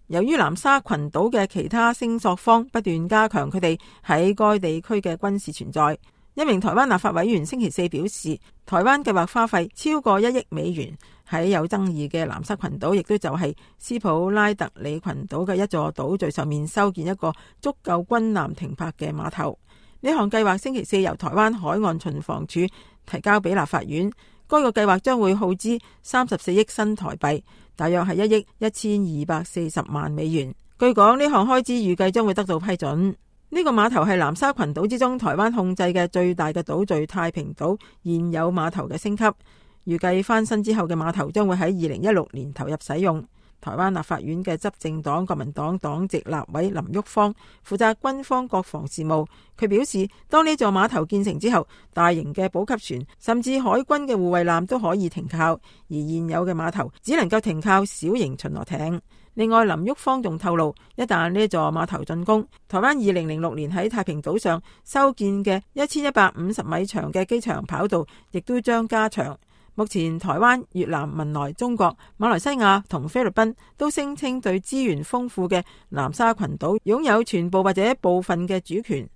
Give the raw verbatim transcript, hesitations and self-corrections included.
由於南沙群島嘅其他聲索方不斷加強佢哋喺該地區嘅軍事存在，一名台灣立法委員星期四表示，台灣計劃花費超過一億美元喺有爭議嘅南沙群島，亦都就係斯普拉特里群島嘅一座島嶼上面修建一個足夠軍艦停泊嘅碼頭。呢項計劃星期四由台灣海岸巡防署提交俾立法院，該個計劃將會耗資三十四億新台幣，大約係一億一千二百四十萬美元。據講，呢項開支預計將會得到批准。呢個碼頭係南沙群島之中台灣控制嘅最大嘅島嶼太平島現有碼頭嘅升級，預計翻新之後嘅碼頭將會喺二零一六年投入使用。台灣立法院嘅執政黨國民黨黨籍立委林旭芳負責軍方國防事務，佢表示，當呢座碼頭建成之後，大型嘅補給船甚至海軍嘅護衛艦都可以停靠，而現有嘅碼頭只能夠停靠小型巡邏艇。另外，林旭芳仲透露，一旦呢座碼頭竣工，台灣二零零六年喺太平島上修建嘅一千一百五十米長嘅機場跑道亦都將加長。目前台灣、越南、文萊、中國、馬來西亞同菲律賓都聲稱對資源豐富嘅南沙群島擁有全部或者部分嘅主權。